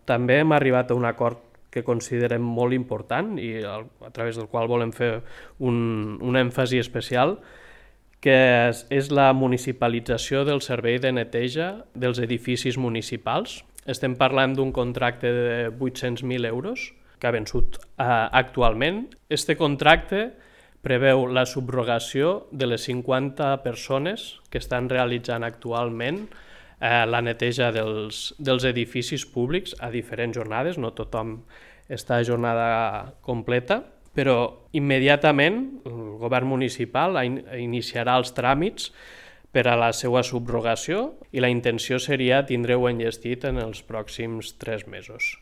també hem arribat a un acord que considerem molt important i a través del qual volem fer un èmfasi especial, que és la municipalització del servei de neteja dels edificis municipals. Estem parlant d'un contracte de 800.000 euros que ha vençut actualment. Este contracte preveu la subrogació de les 50 persones que estan realitzant actualment la neteja dels edificis públics a diferents jornades, no tothom està a jornada completa, però immediatament el govern municipal iniciarà els tràmits per a la seva subrogació i la intenció seria tindre-ho enllestit en els pròxims 3 mesos.